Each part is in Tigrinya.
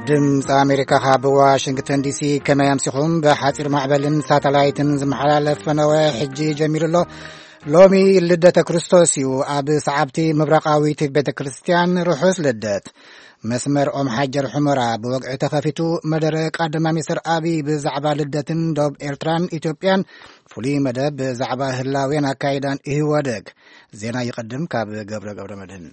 ድምፂ ኣሜሪካ ካብ ዋሽንግተን ዲሲ። ከመይ ኣምሲኹም? ብሓፂር ማዕበልን ሳተላይትን ዝመሓላለፍ ፈነወ ሕጂ ጀሚሩ ኣሎ። ሎሚ ልደተ ክርስቶስ እዩ። ኣብ ሰዓብቲ ምብራቓዊት ቤተ ክርስቲያን ርሑስ ልደት። መስመር ኦም ሓጀር ሑመራ ብወግዒ ተኸፊቱ። መደረ ቀዳማይ ሚኒስትር ኣብይ ብዛዕባ ልደትን ዶብ ኤርትራን ኢትዮጵያን፣ ፍሉይ መደብ ብዛዕባ ህላዌን ኣካይዳን ኢህወደግ። ዜና ይቐድም ካብ ገብረ ገብረ መድህን።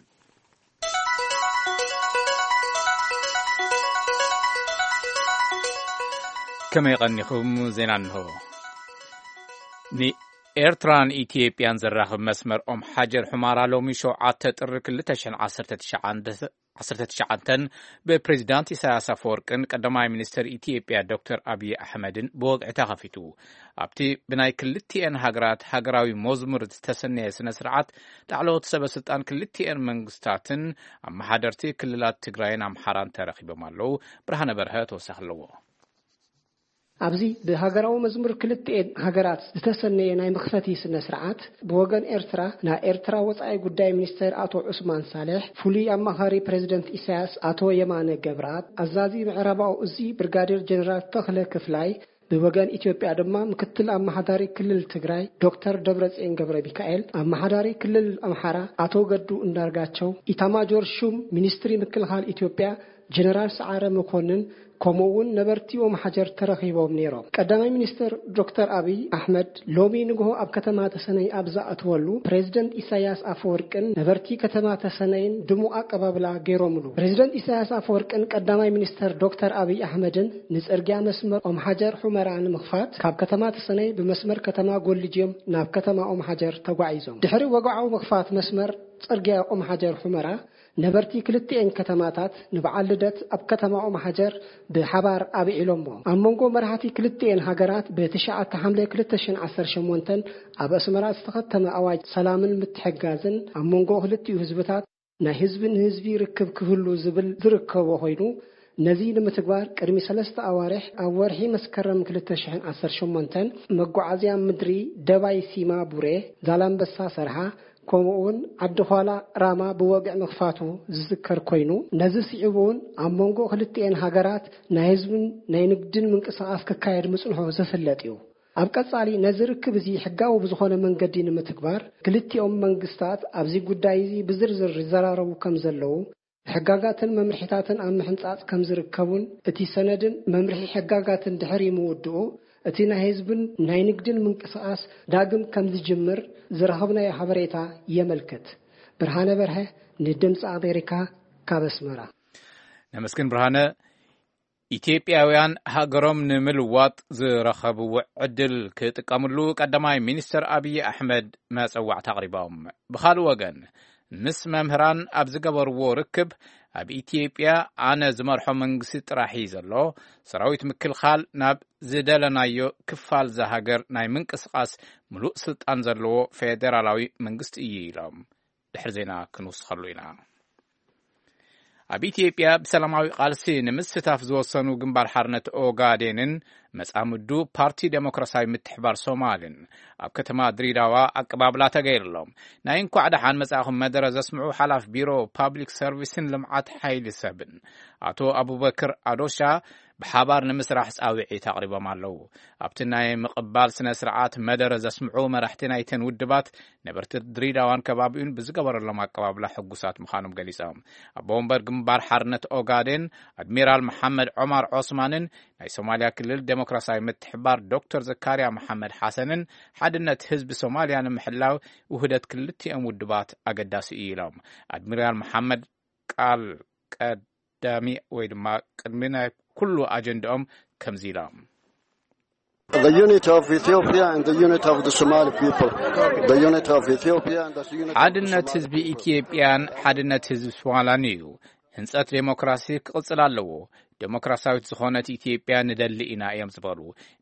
ከመይ ቀኒኹም? ዜና እንሆ። ንኤርትራን ኢትዮጵያን ዘራኽብ መስመር ኦም ሓጀር ሑማራ ሎሚ ሸውዓተ ጥሪ ክልተ ሽሕን ዓሰርተ ትሽዓን ዓሰርተ ትሽዓን ብፕሬዚዳንት ኢሳያስ ኣፈወርቅን ቀዳማይ ሚኒስትር ኢትዮጵያ ዶክተር ኣብይ ኣሕመድን ብወግዒ ተኸፊቱ። ኣብቲ ብናይ ክልቲኤን ሃገራት ሃገራዊ መዝሙር ዝተሰነየ ስነ ስርዓት፣ ላዕለዎት ሰበ ስልጣን ክልቲኤን መንግስታትን ኣመሓደርቲ ክልላት ትግራይን ኣምሓራን ተረኺቦም ኣለዉ። ብርሃነ በርሀ ተወሳኺ ኣለዎ። ኣብዚ ብሃገራዊ መዝሙር ክልቲኤን ሃገራት ዝተሰነየ ናይ መኽፈቲ ስነ ስርዓት፣ ብወገን ኤርትራ ናይ ኤርትራ ወጻኢ ጉዳይ ሚኒስተር ኣቶ ዑስማን ሳልሕ፣ ፍሉይ ኣማኻሪ ፕሬዚደንት ኢሳያስ ኣቶ የማነ ገብረኣብ፣ ኣዛዚ ምዕራባዊ እዚ ብርጋዴር ጀነራል ተኽለ ክፍላይ፣ ብወገን ኢትዮጵያ ድማ ምክትል ኣመሓዳሪ ክልል ትግራይ ዶክተር ደብረጽዮን ገብረ ሚካኤል፣ ኣመሓዳሪ ክልል ኣምሓራ ኣቶ ገዱ እንዳርጋቸው፣ ኢታማጆር ሹም ሚኒስትሪ ምክልኻል ኢትዮጵያ ጀነራል ሰዓረ መኮንን፣ ከምኡ እውን ነበርቲ ኦም ሓጀር ተረኺቦም ነይሮም። ቀዳማይ ሚኒስትር ዶክተር ኣብይ ኣሕመድ ሎሚ ንግሆ ኣብ ከተማ ተሰነይ ኣብ ዝኣተወሉ፣ ፕሬዚደንት ኢሳያስ ኣፈወርቅን ነበርቲ ከተማ ተሰነይን ድሙቕ ኣቀባብላ ገይሮምሉ። ፕሬዚደንት ኢሳያስ ኣፈወርቅን ቀዳማይ ሚኒስትር ዶክተር ኣብይ ኣሕመድን ንጽርግያ መስመር ኦም ሓጀር ሑመራ ንምኽፋት ካብ ከተማ ተሰነይ ብመስመር ከተማ ጎልጅ እዮም ናብ ከተማ ኦም ሓጀር ተጓዒዞም። ድሕሪ ወግዓዊ ምኽፋት መስመር ጽርግያ ኦም ሓጀር ሑመራ፣ ነበርቲ ክልቲኤን ከተማታት ንበዓል ልደት ኣብ ከተማ ኦም ሓጀር ብሓባር ኣብዒሎሞ። ኣብ መንጎ መራሕቲ ክልቲኤን ሃገራት ብትሽዓተ ሓምለ ክልተ ሽሕን ዓሰርተ ሸሞንተን ኣብ ኣስመራ ዝተኸተመ ኣዋጅ ሰላምን ምትሕግጋዝን፣ ኣብ መንጎ ክልቲኡ ህዝብታት ናይ ህዝቢ ንህዝቢ ርክብ ክህሉ ዝብል ዝርከቦ ኮይኑ፣ ነዚ ንምትግባር ቅድሚ ሰለስተ ኣዋርሕ ኣብ ወርሒ መስከረም ክልተ ሽሕን ዓሰርተ ሸሞንተን መጓዓዝያ ምድሪ ደባይ ሲማ ቡሬ፣ ዛላምበሳ ሰርሃ፣ ከምኡ እውን ዓዲ ኳላ ራማ ብወግዒ ምኽፋቱ ዝዝከር ኮይኑ፣ ነዚ ስዒቡ እውን ኣብ መንጎ ክልቲኤን ሃገራት ናይ ህዝብን ናይ ንግድን ምንቅስቓስ ክካየድ ምጽንሑ ዝፍለጥ እዩ። ኣብ ቀጻሊ ነዚ ርክብ እዚ ሕጋዊ ብዝኾነ መንገዲ ንምትግባር፣ ክልቲኦም መንግስታት ኣብዚ ጉዳይ እዚ ብዝርዝር ይዘራረቡ ከም ዘለዉ፣ ሕጋጋትን መምርሒታትን ኣብ ምሕንጻጽ ከም ዝርከቡን፣ እቲ ሰነድን መምርሒ ሕጋጋትን ድሕሪ ምውድኡ፣ እቲ ናይ ህዝብን ናይ ንግድን ምንቅስቓስ ዳግም ከም ዝጅምር ዝረኸብናዮ ሓበሬታ የመልክት። ብርሃነ በርሀ፣ ንድምፂ ኣሜሪካ፣ ካብ ኣስመራ። ነመስግን ብርሃነ። ኢትዮጵያውያን ሃገሮም ንምልዋጥ ዝረኸብዎ ዕድል ክጥቀምሉ ቀዳማይ ሚኒስትር ኣብይ ኣሕመድ መጸዋዕታ ኣቕሪቦም። ብኻልእ ወገን፣ ምስ መምህራን ኣብ ዝገበርዎ ርክብ፣ ኣብ ኢትዮጵያ ኣነ ዝመርሖ መንግስቲ ጥራሕ እዩ ዘሎ፣ ሰራዊት ምክልኻል ናብ ዝደለናዮ ክፋል እዛ ሃገር ናይ ምንቅስቓስ ምሉእ ስልጣን ዘለዎ ፌዴራላዊ መንግስቲ እዩ ኢሎም። ድሕሪ ዜና ክንውስኸሉ ኢና። ኣብ ኢትዮጵያ ብሰላማዊ ቃልሲ ንምስታፍ ዝወሰኑ ግንባር ሓርነት ኦጋዴንን መጻምዱ ፓርቲ ዴሞክራሲያዊ ምትሕባር ሶማልን ኣብ ከተማ ድሬዳዋ ኣቀባብላ ተገይርሎም። ናይ እንኳዕ ደሓን መጻእኹም መደረ ዘስምዑ ሓላፍ ቢሮ ፓብሊክ ሰርቪስን ልምዓት ሓይሊ ሰብን ኣቶ ኣቡበክር ኣዶሻ፣ ብሓባር ንምስራሕ ጻውዒት ኣቕሪቦም ኣለዉ። ኣብቲ ናይ ምቕባል ስነ ስርዓት መደረ ዘስምዑ መራሕቲ ናይተን ውድባት፣ ነበርቲ ድሬዳዋን ከባቢኡን ብዝገበረሎም ኣቀባብላ ሕጉሳት ምዃኖም ገሊጾም። ኣቦ ወንበር ግንባር ሓርነት ኦጋዴን ኣድሚራል መሓመድ ዖማር ዖስማንን ናይ ሶማልያ ክልል ዴሞክራሲያዊ ምትሕባር ዶክተር ዘካርያ መሓመድ ሓሰንን፣ ሓድነት ህዝቢ ሶማልያ ንምሕላው ውህደት ክልቲኦም ውድባት ኣገዳሲ እዩ ኢሎም። ኣድሚራል መሓመድ ቃል ቀዳሚ ወይ ድማ ቅድሚ ናይ ኩሉ ኣጀንዳኦም ከምዚ ኢሎም። The unity of Ethiopia and the unity of the Somali people. The unity of Ethiopia and the unity of the ሓድነት Somali ህዝቢ people. ኢትዮጵያን ሓድነት ህዝቢ ሶማላን እዩ። ህንጸት ዴሞክራሲ ክቕጽል ኣለዎ። ዴሞክራሲያዊት ዝኾነት ኢትዮጵያ ንደሊ ኢና እዮም ዝበሉ።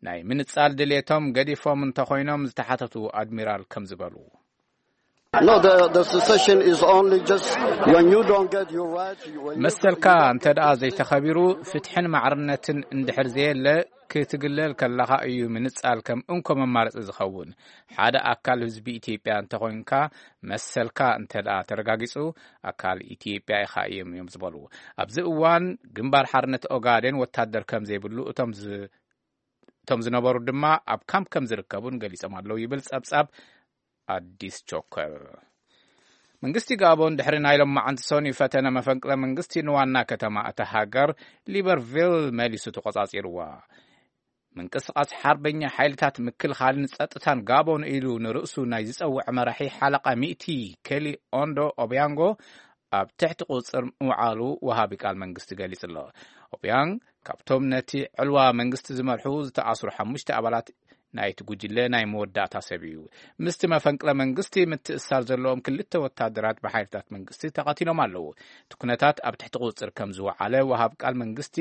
ናይ ምንጻል ድሌቶም ገዲፎም እንተኾይኖም ዝተሓተቱ ኣድሚራል ከም ዝበሉ። No, the, the secession is only just when you don't get your right, you- when you- መሰልካ እንተ ደኣ ዘይተኸቢሩ፣ ፍትሕን ማዕርነትን እንድሕር ዘየለ፣ ክትግለል ከለኻ እዩ ምንጻል ከም እንኮ መማረጺ ዝኸውን። ሓደ ኣካል ህዝቢ ኢትዮጵያ እንተኾይንካ፣ መሰልካ እንተ ደኣ ተረጋጊጹ፣ ኣካል ኢትዮጵያ ኢኻ እዮም፣ እዮም ዝበሉ። ኣብዚ እዋን ግንባር ሓርነት ኦጋዴን ወታደር ከም ዘይብሉ፣ እቶም ዝ-፣ እቶም ዝነበሩ ድማ ኣብ ካምፕ ከም ዝርከቡን ገሊጾም ኣለዉ ይብል ጸብጻብ ኣዲስ ቾከር። መንግስቲ ጋቦን ድሕሪ ናይ ሎማዓንቲ ሰኑይ ፈተነ መፈንቅለ መንግስቲ ንዋና ከተማ እታ ሃገር ሊበርቪል መሊሱ ተቖጻጺርዋ። ምንቅስቓስ ሓርበኛ ሓይልታት ምክልኻልን ጸጥታን ጋቦን ኢሉ ንርእሱ ናይ ዝጸውዐ መራሒ ሓለቓ ሚእቲ ኬሊ ኦንዶ ኦቢያንጎ ኣብ ትሕቲ ቁጽር ምውዓሉ ወሃቢ ቃል መንግስቲ ገሊጹ ኣሎ። ኦቢያንግ ካብቶም ነቲ ዕልዋ መንግስቲ ዝመርሑ ዝተኣስሩ ሓሙሽተ ኣባላት ናይቲ ጉጅለ ናይ መወዳእታ ሰብ እዩ። ምስቲ መፈንቅለ መንግስቲ ምትእስሳር ዘለዎም ክልተ ወታደራት ብሓይልታት መንግስቲ ተቐቲሎም ኣለዉ። እቲ ኩነታት ኣብ ትሕቲ ቁጽር ከም ዝወዓለ ወሃብ ቃል መንግስቲ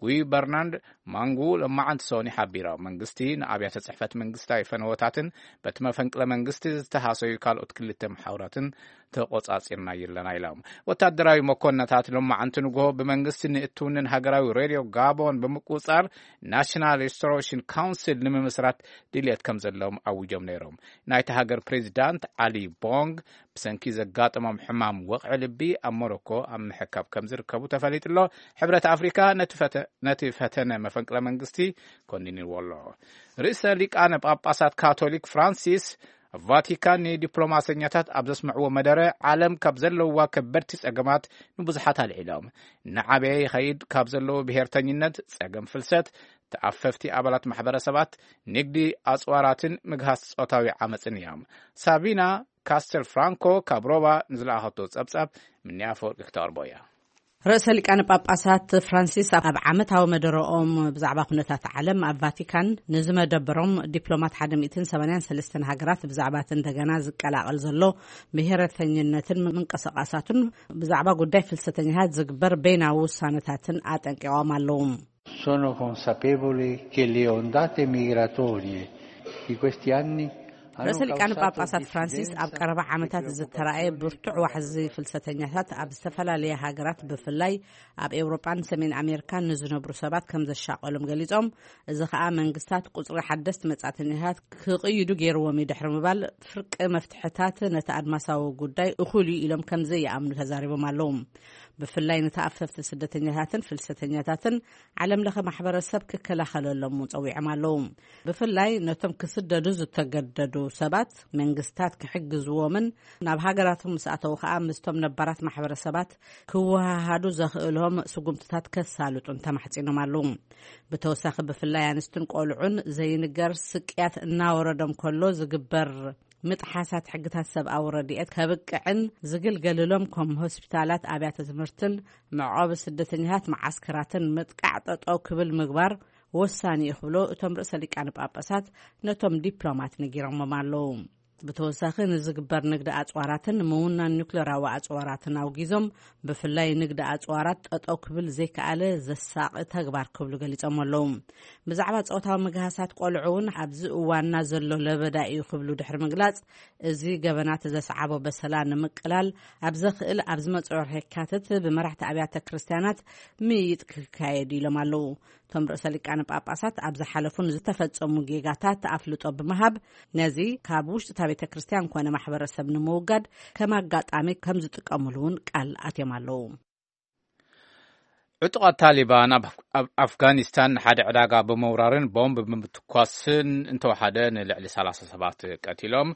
ጉይ በርናንድ ማንጉ ሎማዓንቲ ሰኒ ሓቢሮም። መንግስቲ ንኣብያተ ጽሕፈት መንግስታዊ ፈነወታትን በቲ መፈንቅለ መንግስቲ ዝተሃሰዩ ካልኦት ክልተ መሓውራትን ተቆጻጺርና ይለና ኢሎም። ወታደራዊ መኮንነታት ሎማዓንቲ ንግሆ ብመንግስቲ ንእትውንን ሃገራዊ ሬድዮ ጋቦን ብምቁጻር ናሽናል ሪስቶሬሽን ካውንስል ንምምስራት ድልየት ከም ዘለዎም ኣውጆም ነይሮም። ናይቲ ሃገር ፕሬዚዳንት ዓሊ ቦንግ ብሰንኪ ዘጋጠሞም ሕማም ወቕዒ ልቢ ኣብ ሞሮኮ ኣብ ምሕካብ ከም ዝርከቡ ተፈሊጡ ኣሎ። ሕብረት ኣፍሪካ ነቲ ፈተ-፣ ነቲ ፈተነ መፈንቅለ መንግስቲ ኮኒንዎ ኣሎ። ርእሰ ሊቃነ ጳጳሳት ካቶሊክ ፍራንሲስ ኣብ ቫቲካን ንዲፕሎማሰኛታት ኣብ ዘስምዕዎ መደረ፣ ዓለም ካብ ዘለውዋ ከበድቲ ጸገማት ንብዙሓት ኣልዒሎም። እናዓበየ ይኸይድ ካብ ዘለዎ ብሄርተኝነት፣ ጸገም ፍልሰት፣ ተኣፈፍቲ ኣባላት ማሕበረሰባት፣ ንግዲ ኣጽዋራትን ምግሃስ ጾታዊ ዓመጽን እዮም። ሳቢና ካስተል ፍራንኮ ካብ ሮማ ንዝለኣኸቶ ጸብጻብ ምንያ ኣፈወርቂ ክተቕርቦ እያ። ርእሰ ሊቃነ ጳጳሳት ፍራንሲስ ኣብ ዓመታዊ መደረኦም ብዛዕባ ኩነታት ዓለም ኣብ ቫቲካን ንዝመደበሮም ዲፕሎማት ሓደ ሚእትን ሰማንያን ሰለስተን ሃገራት ብዛዕባ እቲ እንደገና ዝቀላቐል ዘሎ ብሄረተኝነትን ምንቅስቓሳቱን ብዛዕባ ጉዳይ ፍልሰተኛታት ዝግበር በይናዊ ውሳነታትን ኣጠንቂቖም ኣለዉ። Sono consapevole che le ondate migratorie di questi anni hanno ርእሰ ሊቃነ causato ጳጳሳት ፍራንሲስ ኣብ ቀረባ ዓመታት ዝተራእየ ብርቱዕ ዋሕዚ ፍልሰተኛታት ኣብ ዝተፈላለየ ሃገራት፣ ብፍላይ ኣብ ኤውሮጳን ሰሜን ኣሜሪካን ንዝነብሩ ሰባት ከም ዘሻቐሎም ገሊጾም፣ እዚ ኸኣ መንግስታት ቁጽሪ ሓደስቲ መጻእተኛታት ክቕይዱ ገይርዎም እዩ ድሕሪ ምባል፣ ፍርቂ መፍትሕታት ነቲ ኣድማሳዊ ጉዳይ እኹል እዩ ኢሎም ከም ዘይኣምኑ ተዛሪቦም ኣለዉ። ብፍላይ ንተኣፈፍቲ ስደተኛታትን ፍልሰተኛታትን ዓለም ለኸ ማሕበረሰብ ክከላኸለሎም እውን ጸዊዖም ኣለዉ። ብፍላይ ነቶም ክስደዱ ዝተገደዱ ሰባት መንግስታት ክሕግዝዎምን ናብ ሃገራቶም ምስ ኣተዉ ከኣ ምስቶም ነባራት ማሕበረሰባት ክወሃሃዱ ዘኽእሎም ስጉምትታት ከሳልጡን ተማሕጺኖም ኣለዉ። ብተወሳኺ ብፍላይ ኣንስትን ቆልዑን ዘይንገር ስቅያት እናወረዶም ከሎ ዝግበር ምጥሓሳት ሕግታት ሰብኣዊ ረድኤት ከብቅዕን ዝግልገልሎም ከም ሆስፒታላት፣ ኣብያተ ትምህርትን መዕቆቢ ስደተኛታት መዓስከራትን ምጥቃዕ ጠጠው ክብል ምግባር ወሳኒ እዩ ክብሉ እቶም ርእሰ ሊቃነ ጳጳሳት ነቶም ዲፕሎማት ነጊሮሞም ኣለዉ። ብተወሳኺ ንዝግበር ንግዲ ኣጽዋራትን ምውናን ኒውክሌራዊ ኣጽዋራትን ኣውጊዞም፣ ብፍላይ ንግዲ ኣጽዋራት ጠጠው ክብል ዘይከኣለ ዘሳቒ ተግባር ክብሉ ገሊጾም ኣለዉ። ብዛዕባ ጾታዊ ምግሃሳት ቆልዑ እውን ኣብዚ እዋንና ዘሎ ለበዳ እዩ ክብሉ ድሕሪ ምግላጽ፣ እዚ ገበናት ዘስዓቦ በሰላ ንምቅላል ኣብ ዘኽእል ኣብ ዝመጽኦ ወርሒ የካትት ብመራሕቲ ኣብያተ ክርስቲያናት ምይይጥ ክካየድ ኢሎም ኣለዉ። እቶም ርእሰ ሊቃነ ጳጳሳት ኣብ ዝሓለፉ ንዝተፈጸሙ ጌጋታት ኣፍልጦ ብምሃብ፣ ነዚ ካብ ውሽጢ እታ ቤተ ክርስቲያን ኮነ ማሕበረሰብ ንምውጋድ ከም ኣጋጣሚ ከም ዝጥቀሙሉ እውን ቃል ኣትዮም ኣለዉ። ዕጡቓት ታሊባን ኣብ፣ ኣብ ኣፍጋኒስታን ንሓደ ዕዳጋ ብምውራርን ቦምብ ብምትኳስን እንተወሓደ ንልዕሊ ሰላሳ ሰባት ቀቲሎም።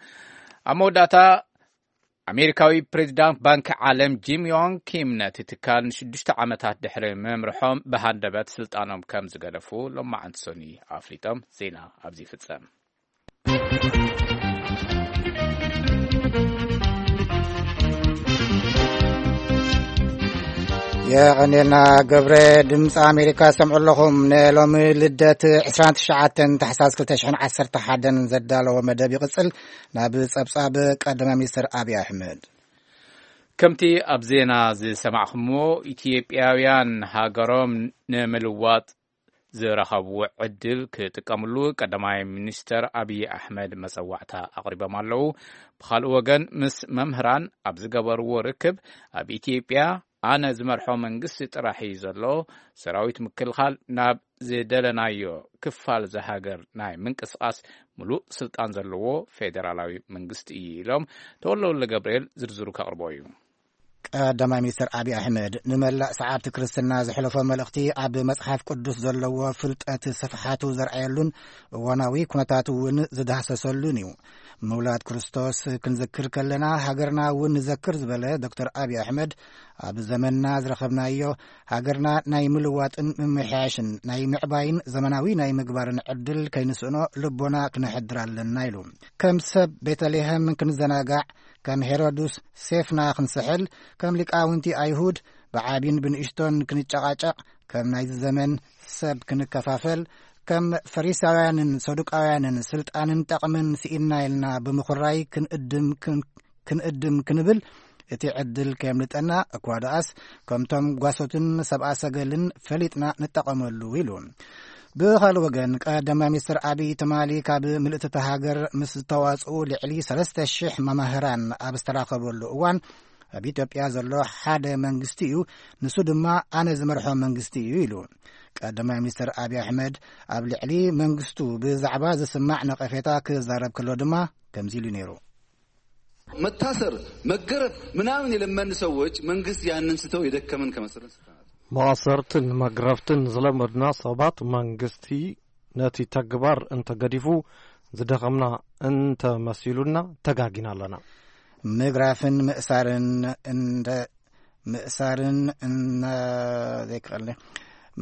ኣብ መወዳእታ ኣሜሪካዊ ፕሬዚዳንት ባንኪ ዓለም ጂም ዮንግ ኪም ነቲ ትካል ንሽዱሽተ ዓመታት ድሕሪ ምምርሖም ብሃንደበት ስልጣኖም ከም ዝገደፉ ሎማዓንቲ ሰኑይ ኣፍሊጦም። ዜና ኣብዚ ይፍጸም። የቐኔልና ገብረ። ድምፂ ኣሜሪካ ሰምዑ ኣለኹም። ንሎሚ ልደት ዕስራን ትሽዓተን ታሕሳስ ክልተ ሽሕን ዓሰርተ ሓደን ዘዳለዎ መደብ ይቕጽል። ናብ ጸብጻብ ቀዳማይ ሚኒስትር ኣብይ ኣሕመድ። ከምቲ ኣብ ዜና ዝሰማዕኹምዎ፣ ኢትዮጵያውያን ሃገሮም ንምልዋጥ ዝረኸብዎ ዕድል ክጥቀምሉ ቀዳማይ ሚኒስተር ኣብይ ኣሕመድ መጸዋዕታ ኣቕሪቦም ኣለዉ። ብኻልእ ወገን፣ ምስ መምህራን ኣብ ዝገበርዎ ርክብ፣ ኣብ ኢትዮጵያ ኣነ ዝመርሖ መንግስቲ ጥራሕ እዩ ዘሎ። ሰራዊት ምክልኻል ናብ ዝደለናዮ ክፋል እዛ ሃገር ናይ ምንቅስቓስ ምሉእ ስልጣን ዘለዎ ፌደራላዊ መንግስቲ እዩ ኢሎም ተወልደ ወልደ ገብርኤል ዝርዝሩ ከቕርቦ እዩ። ቀዳማይ ሚኒስትር ኣብይ ኣሕመድ ንመላእ ሰዓብቲ ክርስትና ዘሕለፎ መልእኽቲ ኣብ መጽሓፍ ቅዱስ ዘለዎ ፍልጠት ስፍሓቱ ዘርኣየሉን እዋናዊ ኩነታት እውን ዝዳህሰሰሉን እዩ። ምውላድ ክርስቶስ ክንዝክር ከለና ሃገርና እውን ንዘክር ዝበለ ዶክተር ኣብይ ኣሕመድ፣ ኣብ ዘመንና ዝረኸብናዮ ሃገርና ናይ ምልዋጥን ምምሕያሽን ናይ ምዕባይን ዘመናዊ ናይ ምግባርን ዕድል ከይንስእኖ ልቦና ክነሕድር ኣለና ኢሉ። ከም ሰብ ቤተልሔም ክንዘናጋዕ፣ ከም ሄሮድስ ሴፍና ክንስሕል፣ ከም ሊቃውንቲ ኣይሁድ ብዓቢን ብንእሽቶን ክንጨቓጨቕ፣ ከም ናይዚ ዘመን ሰብ ክንከፋፈል፣ ከም ፈሪሳውያንን ሰዱቃውያንን ስልጣንን ጠቕምን ስኢንና ኢልና ብምኹራይ ክንእድም ክን-፣ ክንእድም ክንብል እቲ ዕድል ከየምልጠና እኳ ደኣስ ከምቶም ጓሶትን ሰብኣ ሰገልን ፈሊጥና ንጠቐመሉ ኢሉ። ብኻልእ ወገን ቀዳማይ ሚኒስትር ኣብይ ትማሊ ካብ ምልእቲ እታ ሃገር ምስ ዝተዋጽኡ ልዕሊ ሰለስተ ሽሕ መማህራን ኣብ ዝተራኸበሉ እዋን ኣብ ኢትዮጵያ ዘሎ ሓደ መንግስቲ እዩ፣ ንሱ ድማ ኣነ ዝመርሖ መንግስቲ እዩ ኢሉ። ቀዳማይ ሚኒስትር ኣብይ ኣሕመድ ኣብ ልዕሊ መንግስቱ ብዛዕባ ዝስማዕ ነቐፌታ ክዛረብ ከሎ ድማ ከምዚ ኢሉ ነይሩ። መታሰር፣ መገረፍ ምናምን የለመን ሰዎች መንግስት ያንን ስተው የደከመን ከመሰለን ስተናት መኣሰርትን መግረፍትን ዝለመድና ሰባት መንግስቲ ነቲ ተግባር እንተገዲፉ ዝደኸምና እንተመሲሉና ተጋጊና ኣለና። ምግራፍን ምእሳርን እንደ ምእሳርን እነ ዘይክእል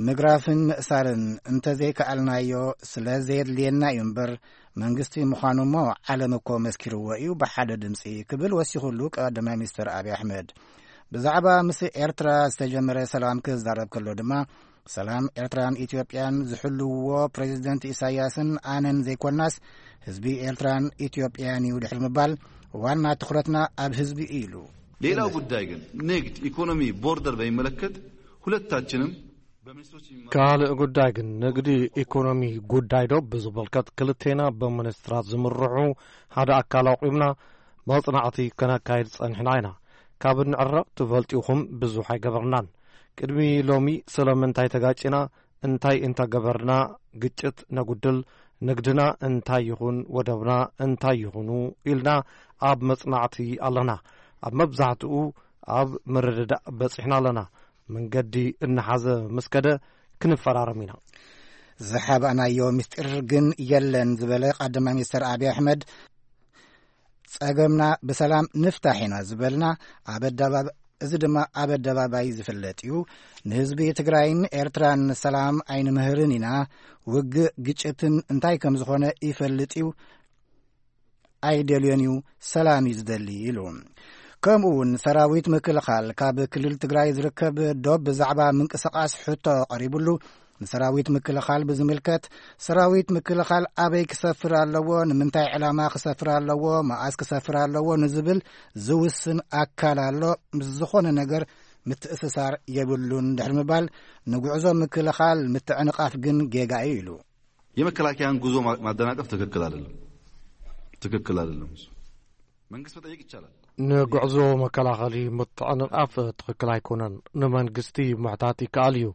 ምግራፍን ምእሳርን እንተዘይከኣልናዮ ስለ ዘየድልየና እዩ እምበር መንግስቲ ምዃኑ እሞ ዓለም እኮ መስኪርዎ እዩ ብሓደ ድምፂ ክብል ወሲኹሉ ቀዳማይ ሚኒስትር ኣብይ ኣሕመድ። ብዛዕባ ምስ ኤርትራ ዝተጀመረ ሰላም ክዛረብ ከሎ ድማ ሰላም ኤርትራን ኢትዮጵያን ዝሕልውዎ ፕሬዚደንት ኢሳያስን ኣነን ዘይኮናስ ህዝቢ ኤርትራን ኢትዮጵያን እዩ ድሕሪ ምባል ዋና ትኹረትና ኣብ ህዝቢ እዩ ኢሉ። ሌላው ጉዳይ ግን ንግድ፣ ኢኮኖሚ፣ ቦርደር በሚመለከት ሁለታችንም በሚኒስትሮች የሚመራ ካልእ ጉዳይ ግን ንግዲ ኢኮኖሚ ጉዳይ ዶ ብዝምልከት ክልቴና ብሚኒስትራት ዝምርሑ ሓደ ኣካል ኣቑምና መጽናዕቲ ከነካይድ ጸኒሕና ኢና። ካብ እንዕረቕ ትፈልጡ ኢኹም ብዙሕ ኣይገበርናን። ቅድሚ ሎሚ ስለምንታይ ተጋጭና እንታይ እንተገበርና ግጭት ነጉድል፣ ንግድና እንታይ ይኹን ወደብና እንታይ ይኹኑ ኢልና ኣብ መጽናዕቲ ኣለና። ኣብ መብዛሕትኡ ኣብ ምርድዳእ በጺሕና ኣለና። መንገዲ እናሓዘ ምስ ከደ ክንፈራረም ኢና። ዝሓባእናዮ ምስጢር ግን የለን ዝበለ ቀዳማይ ሚኒስትር ኣብይ ኣሕመድ ጸገምና ብሰላም ንፍታሕ ኢና ዝበልና ኣብ ኣደባብ እዚ ድማ ኣብ ኣደባባይ ዝፍለጥ እዩ። ንህዝቢ ትግራይን ኤርትራን ሰላም ኣይንምህርን ኢና። ውግእ ግጭትን እንታይ ከም ዝኾነ ይፈልጥ እዩ። ኣይደልዮን እዩ፣ ሰላም እዩ ዝደሊ ኢሉ። ከምኡ እውን ሰራዊት ምክልኻል ካብ ክልል ትግራይ ዝርከብ ዶብ ብዛዕባ ምንቅስቃስ ሕቶ ቀሪቡሉ ንሰራዊት ምክልኻል ብዝምልከት ሰራዊት ምክልኻል ኣበይ ክሰፍር ኣለዎ፣ ንምንታይ ዕላማ ክሰፍር ኣለዎ፣ መኣስ ክሰፍር ኣለዎ ንዝብል ዝውስን ኣካል ኣሎ። ምስ ዝኾነ ነገር ምትእስሳር የብሉን ድሕሪ ምባል ንጉዕዞ ምክልኻል ምትዕንቓፍ ግን ጌጋ እዩ ኢሉ። የመከላከያን ጉዞ ማ- ማደናቀፍ ትክክል አይደለም። ትክክል አይደለም። እሱ መንግስት መጠየቅ ይቻላል። ንጉዕዞ መከላኸሊ ምትዕንቓፍ ትኽክል ኣይኮነን። ንመንግስቲ ምሕታት ይከኣል እዩ።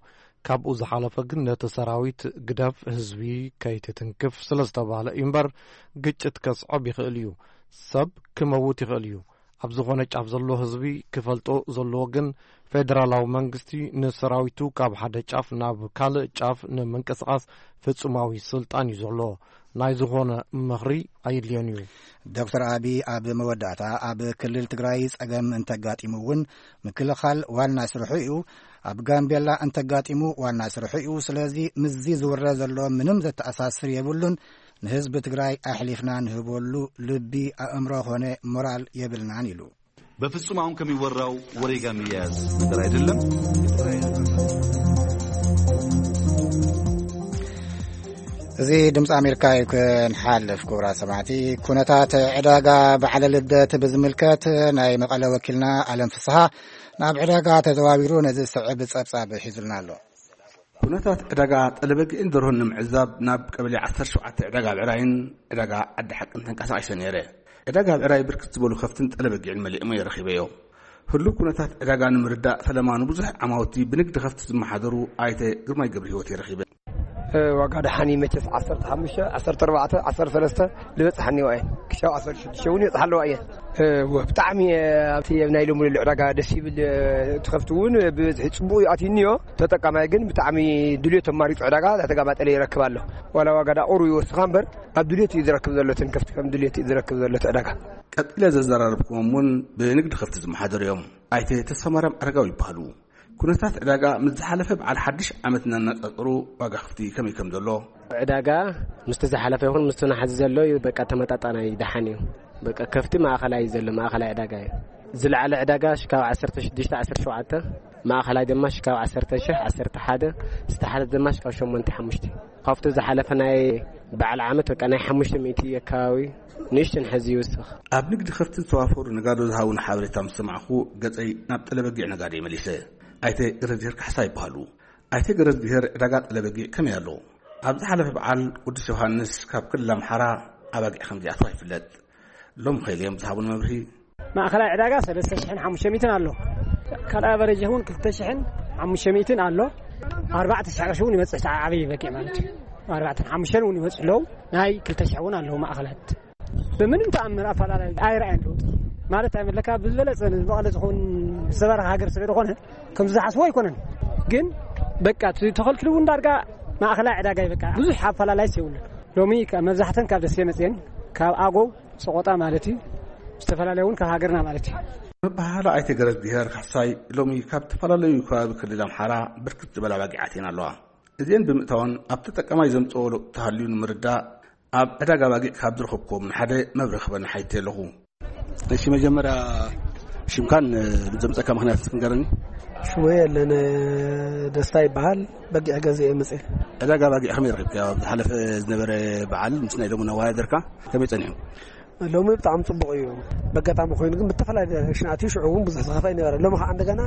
ካብኡ ዝሓለፈ ግን ነቲ ሰራዊት ግደፍ፣ ህዝቢ ከይትትንክፍ ስለ ዝተባህለ እዩ እምበር ግጭት ከስዕብ ይኽእል እዩ። ሰብ ክመውት ይኽእል እዩ። ኣብ ዝኾነ ጫፍ ዘሎ ህዝቢ ክፈልጦ ዘለዎ ግን ፌደራላዊ መንግስቲ ንሰራዊቱ ካብ ሓደ ጫፍ ናብ ካልእ ጫፍ ንምንቅስቓስ ፍጹማዊ ስልጣን እዩ ዘሎ። ናይ ዝኾነ ምኽሪ ኣየድልዮን እዩ። ዶክተር ኣቢ ኣብ መወዳእታ ኣብ ክልል ትግራይ ጸገም እንተጋጢሙ እውን ምክልኻል ዋና ስርሑ እዩ። ኣብ ጋምቤላ እንተጋጢሙ ዋና ስርሑ እዩ። ስለዚ ምስዚ ዝውረ ዘሎ ምንም ዘተኣሳስር የብሉን። ንህዝቢ ትግራይ ኣሕሊፍና ንህበሉ ልቢ ኣእምሮ ኾነ ሞራል የብልናን ኢሉ። በፍጹም አሁን ከሚወራው ወሬ ጋር የሚያያዝ ነገር አይደለም። እዚ ድምፂ ኣሜሪካ እዩ። ክንሓልፍ ክቡራት ሰማዕቲ፣ ኩነታት ዕዳጋ በዓለ ልደት ብዝምልከት ናይ መቐለ ወኪልና ኣለም ፍስሃ ናብ ዕዳጋ ተዘዋዊሩ ነዚ ዝስዕብ ፀብፃብ ሒዙልና ኣሎ። ኩነታት ዕዳጋ ጠለበጊዕን ደርሆን ንምዕዛብ ናብ ቀበሌ ዓሰርተ ሸውዓተ ዕዳጋ ብዕራይን ዕዳጋ ዓዲ ሓቅን ተንቀሳቒሰ ነይረ። ዕዳጋ ብዕራይ ብርክት ዝበሉ ከፍትን ጠለበጊዕን መሊእሞ የረኺበዮ። ህሉው ኩነታት ዕዳጋ ንምርዳእ ፈለማ ንብዙሕ ዓማውቲ ብንግዲ ከፍቲ ዝመሓደሩ ኣይተ ግርማይ ገብረ ህይወት የረኺበ። ዋጋ ደሓን መቸስ ዓሰርተ ሓሙሽተ፣ ዓሰርተ ኣርባዕተ፣ ዓሰርተ ሰለስተ ዝበፅሓ እኒኦ እየን። ክሻብ ዓሰርተ ሽዱሽተ እውን ይበፅሓ ኣለዋ እየን። ብጣዕሚ ኣብቲ ናይ ሎሚ ዕዳጋ ደስ ይብል። ትኸፍቲ እውን ብብዝሒ ፅቡቅ እዩ ኣትዩ እኒኦ። ተጠቃማይ ግን ብጣዕሚ ድልዮት ኣማሪፁ ዕዳጋ ተጋባጠለ ይረክብ ኣሎ። ዋላ ዋጋ ዳቁሩ ይወስኻ እምበር ኣብ ድልዮት እዩ ዝረክብ ዘሎ። እተን ከፍቲ ከም ድልዮት እዩ ዝረክብ ዘሎ እቲ ዕዳጋ። ቀጺለ ዘዘራረብኩዎም እውን ብንግዲ ከፍቲ ዝመሓደሩ እዮም። ኣይተ ተስፋማርያም ኣረጋዊ ይበሃሉ። ኩነታት ዕዳጋ ምስ ዝሓለፈ በዓል ሓድሽ ዓመት እናነጻጸሩ ዋጋ ከፍቲ ከመይ ከም ዘሎ። ዕዳጋ ምስቲ ዝሓለፈ ይኹን ምስቲ ናሕዚ ዘሎ እዩ፣ በቃ ተመጣጣናይ ደሓን እዩ። በቃ ከፍቲ ማእኸላይ እዩ ዘሎ፣ ማእኸላይ ዕዳጋ እዩ። ዝለዓለ ዕዳጋ ሽካብ ዓሰርተ ሽዱሽተ፣ ዓሰርተ ሸውዓተ፣ ማእኸላይ ድማ ሽካብ ዓሰርተ ሺሕ፣ ዓሰርተ ሓደ፣ ዝተሓተ ድማ ሽካብ ሸሞንተ ሓሙሽተ። ካብቲ ዝሓለፈ ናይ በዓል ዓመት በቃ ናይ ሓሙሽተ ሚእቲ ኣካባቢ ንእሽተን ሕዚ ይውስኽ። ኣብ ንግዲ ከፍቲ ዝተዋፈሩ ነጋዶ ዝሃቡን ሓበሬታ ምስ ሰማዕኹ ገጸይ ናብ ጠለበጊዕ ነጋዶ መሊሰ። ኣይተ ገረዝሄር ካሕሳ ይበሃሉ። ኣይተ ገረዝሄር ዕዳጋ ጠለበጊዕ ከመይ ኣሎ? ኣብ ዝሓለፈ በዓል ቅዱስ ዮሃንስ ካብ ክልል ኣምሓራ ኣባጊዕ ከም ዝኣተዋ ይፍለጥ። ሎም ኸይልዮም ዝሃቡን መብርሂ። ማእኸላይ ዕዳጋ ሰለስተ ሽሕን ሓሙሽተ ሚእትን ኣሎ። ካልኣይ ኣቨሬጅ እውን ክልተ ሽሕን ሓሙሽተ ሚእትን ኣሎ። ኣርባዕተ ሽሕ ቅርሺ እውን ይበፅሕ፣ ዓብዪ በጊዕ ማለት እዩ። ኣርባዕተን ሓሙሽተን እውን ይበፅሑ ኣለዉ። ናይ ክልተ ሽሕ እውን ኣለዉ ማእኸላት። ብምንም ተኣምር ኣፈላላይ ኣይረኣየን ለውጢ። ማለት ኣይመለካ ብዝበለፀ ንዝመቐለ ዝኸውን ዝተባረኸ ሃገር ስለ ዝኾነ ከምዚ ዝሓስቦ ኣይኮነን። ግን በቃ እቲ ተኸልኪሉ እውን ዳርጋ ማእኸላይ ዕዳጋ እዩ። በቃ ብዙሕ ኣፈላላይስ የብሉን። ሎሚ ከ-፣ መብዛሕተን ካብ ደሴ መፅየን፣ ካብ ኣጎው፣ ሰቆጣ ማለት እዩ። ዝተፈላለየ እውን ካብ ሃገርና ማለት እዩ። መበሃህላ ኣይተ ገረዝግሄር ካሕሳይ ሎሚ ካብ ዝተፈላለዩ ከባቢ ክልል ኣምሓራ ብርክት ዝበላ ኣባጊዕ ኣትየን ኣለዋ። እዚአን ብምእታወን ኣብ ተጠቃማይ ዘምፅኦ ለውጢ ተሃልዩ ንምርዳእ ኣብ ዕዳጋ ኣባጊዕ ካብ ዝረኸብኩዎም ንሓደ መብርሂ ክበኒ ሓይተ ኣለኹ። እሺ፣ መጀመርያ ሽምካን፣ እ፣ ዘምፀካ ምኽንያት እስኪ ንገረኒ። ሽመይ የለን ደስታ ይበሃል። በጊዕ ገዚኤ መፅእ። ዕዳጋ ኣባጊዕ ከመይ ረኺብካዮ? ኣብ ዝሓለፈ ዝነበረ በዓል ምስ ናይ ሎሚ ነዋዳድርካ ከመይ ጸኒሑ? ሎሚ ብጣዕሚ ጽቡቕ እዩ። በጋጣሚ ኮይኑ ግን ብተፈላለየ ሽናት እዩ፣ ሽዑ እውን ብዙሕ ዝኸፍእ ኣይነበረ። ሎሚ ከዓ እንደገና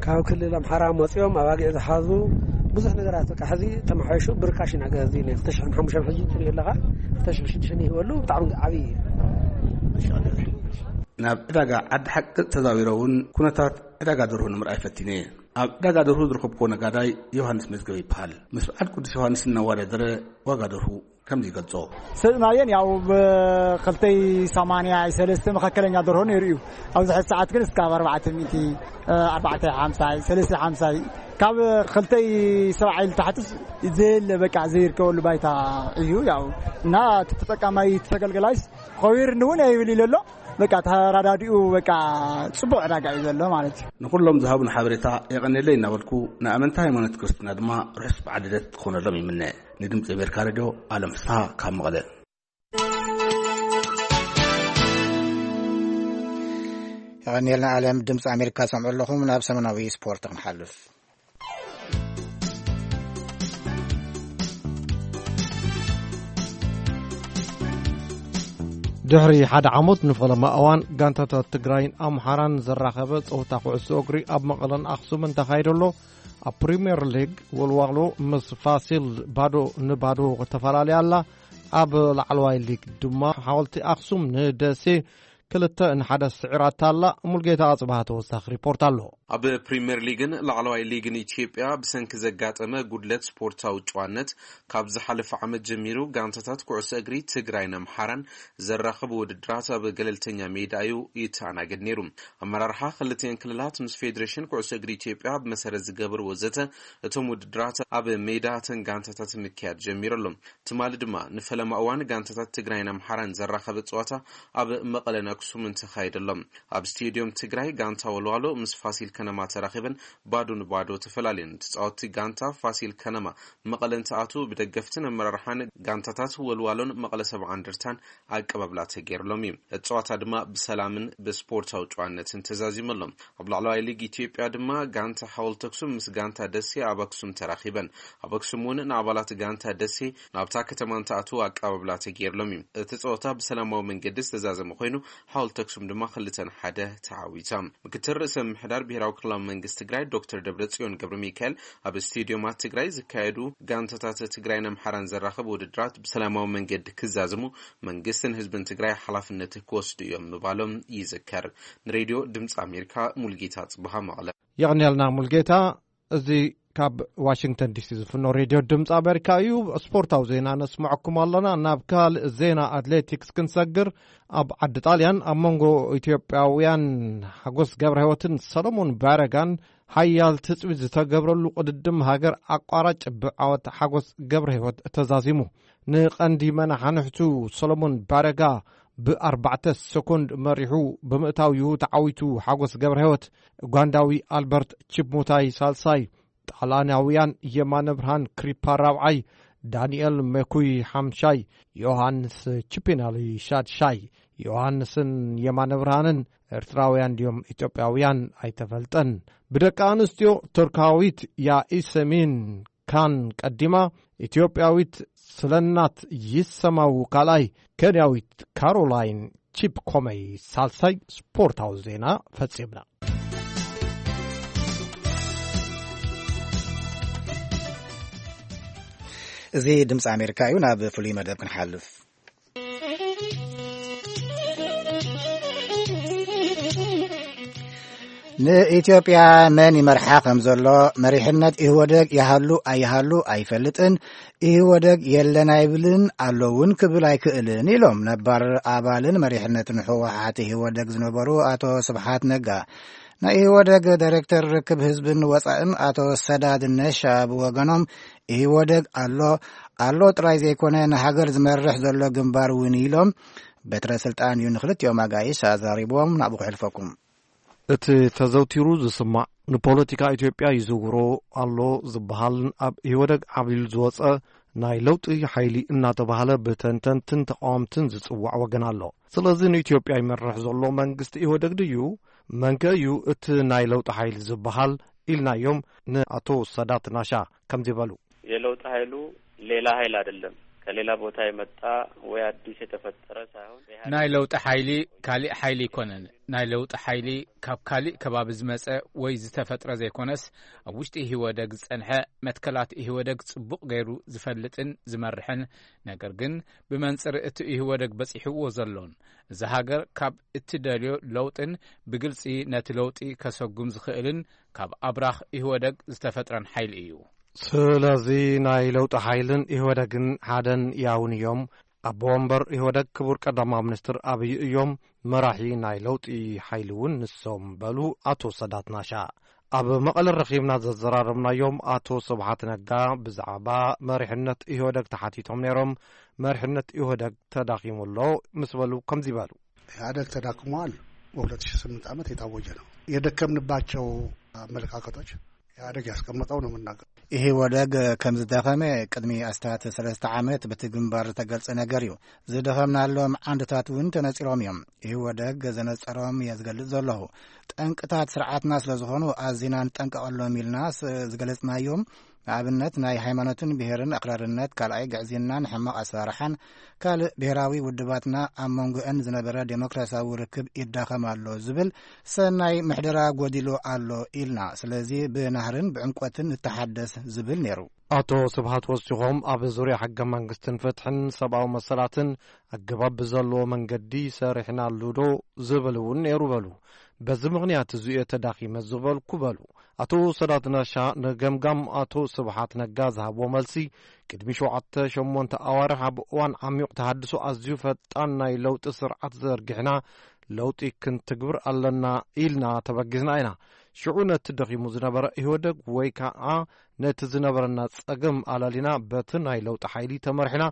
ካብ ክልል ኣምሓራ መጺኦም ኣባጊዕ ዝሓዙ ብዙሕ ነገራት በቃ ሕዚ ተመሓይሹ ብርካሽ ኢና ገዚ ነ ክልተ ሽሕን ሓሙሽተን ሕዚ ትሪኦ ኣለኻ፣ ክልተ ሽሕን ሽዱሽተን ይህበሉ ብጣዕሚ ዓብዪ እዩ። ናብ ዕዳጋ ዓዲ ሓቂ ተዛዊረ እውን ኩነታት ዕዳጋ ደርሁ ንምርኣይ ፈቲነ። ኣብ ዕዳጋ ደርሁ ዝረኸብኩዎ ነጋዳይ ዮሃንስ መዝገበ ይበሃል። ምስ በዓል ቅዱስ ዮሃንስ እናወዳደረ ዋጋ ደርሁ ከምዚ ይገልጾ። ሰጥናየን ያው ብክልተይ ሰማንያ ሰለስተ መካከለኛ ደርሆ ነይሩ እዩ። ኣብዚ ሕዚ ሰዓት ግን እስካብ ኣርባዕተ ሚእቲ፣ ኣርባዕተ ሓምሳ፣ ሰለስተ ሓምሳ፣ ካብ ክልተይ ሰብዓ ኢሉ ታሕትስ ዘየለ በቃ ዘይርከበሉ ባይታ እዩ። ያው እና እቲ ተጠቃማይ እቲ ተገልገላይስ ኸዊርኒ እውን ኣይብል ኢለ ኣሎ። በቃ ተራዳዲኡ በቃ ጽቡቕ ዕዳጋ እዩ ዘሎ ማለት እዩ። ንኹሎም ዝሃቡን ሓበሬታ የቐንየለይ እናበልኩ ንኣመንቲ ሃይማኖት ክርስትና ድማ ርሑስ በዓል ልደት ክኾነሎም ይምነ። ንድምፂ ኣሜሪካ ሬድዮ ኣለም ፍስሃ ካብ መቐለ። የቐንየልና ኣለም። ድምፂ ኣሜሪካ ሰምዑ ኣለኹም። ናብ ሰሙናዊ ስፖርት ክንሓልፍ። ድሕሪ ሓደ ዓመት ንፈለማ እዋን ጋንታታት ትግራይን ኣምሓራን ዘራኸበ ፀወታ ኩዕሶ እግሪ ኣብ መቐለን ኣኽሱምን ተኻይዶ ኣሎ። ኣብ ፕሪምየር ሊግ ወልዋሎ ምስ ፋሲል ባዶ ንባዶ ተፈላለያ ኣላ። ኣብ ላዕለዋይ ሊግ ድማ ሓወልቲ ኣኽሱም ንደሴ ክልተ ንሓደ ስዒራታ ኣላ። ሙልጌታ ኣጽብሃ ተወሳኺ ሪፖርት ኣሎ። ኣብ ፕሪምየር ሊግን ላዕለዋይ ሊግን ኢትዮጵያ ብሰንኪ ዘጋጠመ ጉድለት ስፖርታዊ ጨዋነት ካብ ዝሓለፈ ዓመት ጀሚሩ ጋንታታት ኩዕሶ እግሪ ትግራይን ኣምሓራን ዘራኽቡ ውድድራት ኣብ ገለልተኛ ሜዳ እዩ ይተኣናገድ ነይሩ። ኣመራርሓ ክልቲኤን ክልላት ምስ ፌዴሬሽን ኩዕሶ እግሪ ኢትዮጵያ ብመሰረት ዝገበርዎ ዘተ እቶም ውድድራት ኣብ ሜዳ እተን ጋንታታት ምክያድ ጀሚሩ ኣሎ። ትማሊ ድማ ንፈለማ እዋን ጋንታታት ትግራይን ኣምሓራን ዘራኸበ ፀዋታ ኣብ መቐለን ኣክሱምን ተኻይዱ ኣሎ። ኣብ ስቴዲዮም ትግራይ ጋንታ ወልዋሎ ምስ ፋሲል ከነማ ተራኺበን ባዶ ንባዶ ተፈላለየን። ተፃወትቲ ጋንታ ፋሲል ከነማ መቐለ እንትኣትዉ ብደገፍትን ኣመራርሓን ጋንታታት ወልዋሎን መቐለ ሰብዓ እንደርታን ኣቀባብላ ተገይርሎም እዩ። እቲ ፀዋታ ድማ ብሰላምን ብስፖርታዊ ጨዋነትን ተዛዚሙ ኣሎ። ኣብ ላዕለዋይ ሊግ ኢትዮጵያ ድማ ጋንታ ሓወልቲ ኣክሱም ምስ ጋንታ ደሴ ኣብ ኣክሱም ተራኺበን። ኣብ ኣክሱም እውን ንኣባላት ጋንታ ደሴ ናብታ ከተማ እንትኣትዉ ኣቀባብላ ተገይርሎም እዩ። እቲ ፀወታ ብሰላማዊ መንገዲ ዝተዛዘመ ኮይኑ ሓወልቲ ኣክሱም ድማ ክልተ ንሓደ ተዓዊታ። ምክትል ርእሰ ምምሕዳር ብሄራዊ ክልላዊ መንግስቲ ትግራይ ዶክተር ደብረጽዮን ገብረ ሚካኤል ኣብ ስቴዲዮማት ትግራይ ዝካየዱ ጋንታታት ትግራይን ኣምሓራን ዘራኸቡ ውድድራት ብሰላማዊ መንገዲ ክዛዝሙ መንግስትን ህዝብን ትግራይ ሓላፍነት ክወስዱ እዮም ምባሎም ይዝከር። ንሬድዮ ድምፂ ኣሜሪካ ሙልጌታ ጽብሃ መቐለ። የቐንየልና ሙልጌታ። እዚ ካብ ዋሽንግተን ዲሲ ዝፍኖ ሬድዮ ድምፂ ኣሜሪካ እዩ። ስፖርታዊ ዜና ነስምዐኩም ኣለና። ናብ ካልእ ዜና ኣትሌቲክስ ክንሰግር፣ ኣብ ዓዲ ጣልያን ኣብ መንጎ ኢትዮጵያውያን ሓጎስ ገብረ ህይወትን ሰሎሞን ባረጋን ሓያል ትፅቢት ዝተገብረሉ ቅድድም ሃገር ኣቋራጭ ብዓወት ሓጎስ ገብረ ህይወት ተዛዚሙ። ንቐንዲ መናሓንሕቱ ሰሎሞን ባረጋ ብኣርባዕተ ሰኮንድ መሪሑ ብምእታው እዩ ተዓዊቱ። ሓጎስ ገብረ ህይወት ኡጋንዳዊ ኣልበርት ቺፕሙታይ ሳልሳይ፣ ጣልያናውያን የማነ ብርሃን ክሪፓ ራብዓይ፣ ዳንኤል መኩይ ሓምሻይ፣ ዮሃንስ ቺፒናሊ ሻድሻይ። ዮሃንስን የማነ ብርሃንን ኤርትራውያን ድዮም ኢትዮጵያውያን ኣይተፈልጠን። ብደቂ ኣንስትዮ ቱርካዊት ያኢሰሚን ካን ቀዲማ፣ ኢትዮጵያዊት ስለናት ይሰማው ካልኣይ፣ ኬንያዊት ካሮላይን ቺፕ ኮመይ ሳልሳይ። ስፖርታዊ ዜና ፈጺምና። እዚ ድምፂ ኣሜሪካ እዩ። ናብ ፍሉይ መደብ ክንሓልፍ። ንኢትዮጵያ መን ይመርሓ ከም ዘሎ፣ መሪሕነት ኢህወደግ ይሃሉ ኣይሃሉ ኣይፈልጥን፣ ኢህወደግ የለን ኣይብልን፣ ኣሎ እውን ክብል ኣይክእልን ኢሎም ነባር ኣባልን መሪሕነትን ህወሓት ኢህወደግ ዝነበሩ ኣቶ ስብሓት ነጋ። ናይ ኢህወደግ ዳይሬክተር ርክብ ህዝብን ወፃእን ኣቶ ሰዳድ ነሻ ብወገኖም፣ ኢህወደግ ኣሎ ኣሎ ጥራይ ዘይኮነ፣ ንሃገር ዝመርሕ ዘሎ ግንባር እውን ኢሎም፣ በትረ ስልጣን እዩ ንክልቲኦም ኣጋይሽ ኣዛሪብዎም። ናብኡ ክሕልፈኩም። እቲ ተዘውቲሩ ዝስማዕ፣ ንፖለቲካ ኢትዮጵያ ይዝውሮ ኣሎ ዝበሃልን ኣብ ኢህወደግ ዓብሊሉ ዝወፀ ናይ ለውጢ ሓይሊ እናተባህለ ብተንተንትን ተቃወምትን ዝጽዋዕ ወገን ኣሎ። ስለዚ ንኢትዮጵያ ይመርሕ ዘሎ መንግስቲ ኢህወደግ ድዩ? መንከ እዩ እቲ ናይ ለውጢ ሓይሊ ዝበሃል? ኢልናዮም ንኣቶ ሰዳት ናሻ ከምዚ በሉ። የለውጥ ኃይሉ ሌላ ኃይል አይደለም፣ ከሌላ ቦታ የመጣ ወይ አዲስ የተፈጠረ ሳይሆን ኢህአዴግ ናይ ለውጢ ሓይሊ ካሊእ ሓይሊ ኣይኮነን። ናይ ለውጢ ሓይሊ ካብ ካሊእ ከባቢ ዝመጸ ወይ ዝተፈጥረ ዘይኮነስ፣ ኣብ ውሽጢ ኢህወደግ ዝጸንሐ፣ መትከላት ኢህወደግ ጽቡቕ ገይሩ ዝፈልጥን ዝመርሕን፣ ነገር ግን ብመንጽር እቲ ኢህወደግ በጺሕዎ ዘሎን፣ እዛ ሃገር ካብ እትደልዮ ለውጥን ብግልጺ ነቲ ለውጢ ከሰጉም ዝኽእልን ካብ ኣብራኽ ኢህወደግ ዝተፈጥረን ሓይሊ እዩ። ስለዚ ናይ ለውጢ ሓይልን ኢህወደግን ሓደን ያውን እዮም። ኣቦ ወንበር ኢህወደግ ክቡር ቀዳማዊ ሚኒስትር ኣብይ እዮም፣ መራሒ ናይ ለውጢ ሓይሊ እውን ንሶም በሉ ኣቶ ሰዳት ናሻ። ኣብ መቐለ ረኺብና ዘዘራረብናዮም ኣቶ ስብሓት ነጋ ብዛዕባ መሪሕነት ኢህወደግ ተሓቲቶም ነይሮም። መሪሕነት ኢህወደግ ተዳኺሙ ኣሎ ምስ በሉ ከምዚ በሉ። ኢህአደግ ተዳክሟል። በሁለት ሺህ ስምንት ዓመት የታወጀ ነው። የደከምንባቸው አመለካከቶች ኢህአደግ ያስቀመጠው ነው የምናገር። ኢህወደግ ከም ዝደኸመ ቅድሚ ኣስታት ሰለስተ ዓመት በቲ ግንባር ዝተገልጸ ነገር እዩ። ዝደኸምናሎም ዓንድታት እውን ተነጺሮም እዮም። ኢህወደግ ዘነጸሮም እየ ዝገልጽ ዘለኹ። ጠንቅታት ስርዓትና ስለ ዝኾኑ ኣዚና ንጠንቀቐሎም ኢልና ስ-፣ ዝገለጽናዮም፣ ንኣብነት ናይ ሃይማኖትን ብሔርን ኣክራርነት፣ ካልኣይ ግዕዝይናን ሕማቕ ኣሰራርሓን፣ ካልእ ብሔራዊ ውድባትና ኣብ መንጎአን ዝነበረ ዴሞክራሲያዊ ርክብ ይዳኸም ኣሎ ዝብል ሰናይ ምሕደራ ጎዲሉ ኣሎ ኢልና። ስለዚ ብናህርን ብዕምቆትን ንተሓደስ ዝብል ነይሩ። ኣቶ ስብሃት ወሲኾም ኣብ ዙርያ ሕገ መንግስትን ፍትሕን ሰብኣዊ መሰላትን ኣገባብ ብዘለዎ መንገዲ ሰሪሕናሉ ዶ ዝብል እውን ነይሩ በሉ። በዚ ምኽንያት እዚ እየ ተዳኺመ ዝበልኩ በሉ። ኣቶ ሰዳት ናሻ ንገምጋም ኣቶ ስብሓት ነጋ ዝሃብዎ መልሲ፣ ቅድሚ ሸውዓተ ሸሞንተ ኣዋርሕ ኣብ እዋን ዓሚቕ ተሃድሶ ኣዝዩ ፈጣን ናይ ለውጢ ስርዓት ዘርጊሕና ለውጢ ክንትግብር ኣለና ኢልና ተበጊስና ኢና። ሽዑ ነቲ ደኺሙ ዝነበረ ኢህወደግ ወይ ከዓ ነቲ ዝነበረና ጸገም ኣላሊና በቲ ናይ ለውጢ ሓይሊ ተመርሒና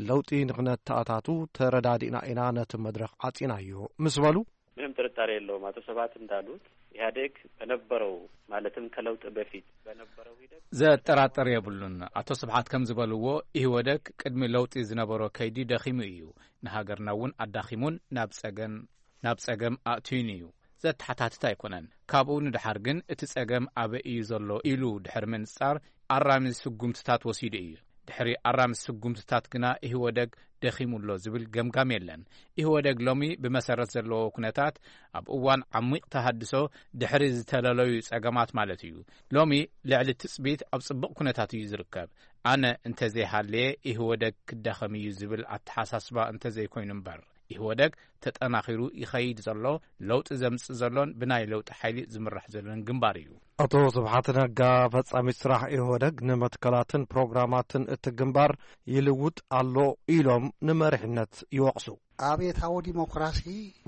ለውጢ ንኽነተኣታቱ ተረዳዲእና ኢና ነቲ መድረኽ ዓጺናዮ ምስ በሉ፣ ምንም ጥርጣሬ የለውም። አቶ ስብሐት እንዳሉት ኢህአዴግ በነበረው ማለትም ከለውጥ በፊት በነበረው ሂደት ዘጠራጠር የብሉን። ኣቶ ስብሓት ከም ዝበልዎ ኢህወደግ ቅድሚ ለውጢ ዝነበሮ ከይዲ ደኺሙ እዩ። ንሃገርና እውን ኣዳኺሙን ናብ ጸገም፣ ናብ ጸገም ኣእትዩን እዩ። ዘተሓታትት ኣይኮነን። ካብኡ ንደሓር ግን እቲ ጸገም ኣበይ እዩ ዘሎ ኢሉ ድሕሪ ምንጻር ኣራሚ ስጉምትታት ወሲዱ እዩ። ድሕሪ ኣራሚ ስጉምትታት ግና ኢህወደግ ደኺሙ ኣሎ ዝብል ገምጋም የለን። ኢህወደግ ሎሚ ብመሰረት ዘለዎ ኩነታት ኣብ እዋን ዓሚቕ ተሃድሶ ድሕሪ ዝተለለዩ ጸገማት ማለት እዩ። ሎሚ ልዕሊ ትጽቢት ኣብ ጽቡቕ ኩነታት እዩ ዝርከብ። ኣነ እንተዘይሃለየ ኢህወደግ ክዳኸም እዩ ዝብል ኣተሓሳስባ እንተዘይኮይኑ እምበር፣ ኢህወደግ ተጠናኺሩ ይኸይድ ዘሎ፣ ለውጢ ዘምጽእ ዘሎን ብናይ ለውጢ ሓይሊ ዝምራሕ ዘሎን ግንባር እዩ። ኣቶ ስብሓት ነጋ፣ ፈጻሚት ስራሕ ኢህወደግ ንመትከላትን ፕሮግራማትን እቲ ግንባር ይልውጥ ኣሎ ኢሎም ንመሪሕነት ይወቕሱ። ኣብዮታዊ ዲሞክራሲ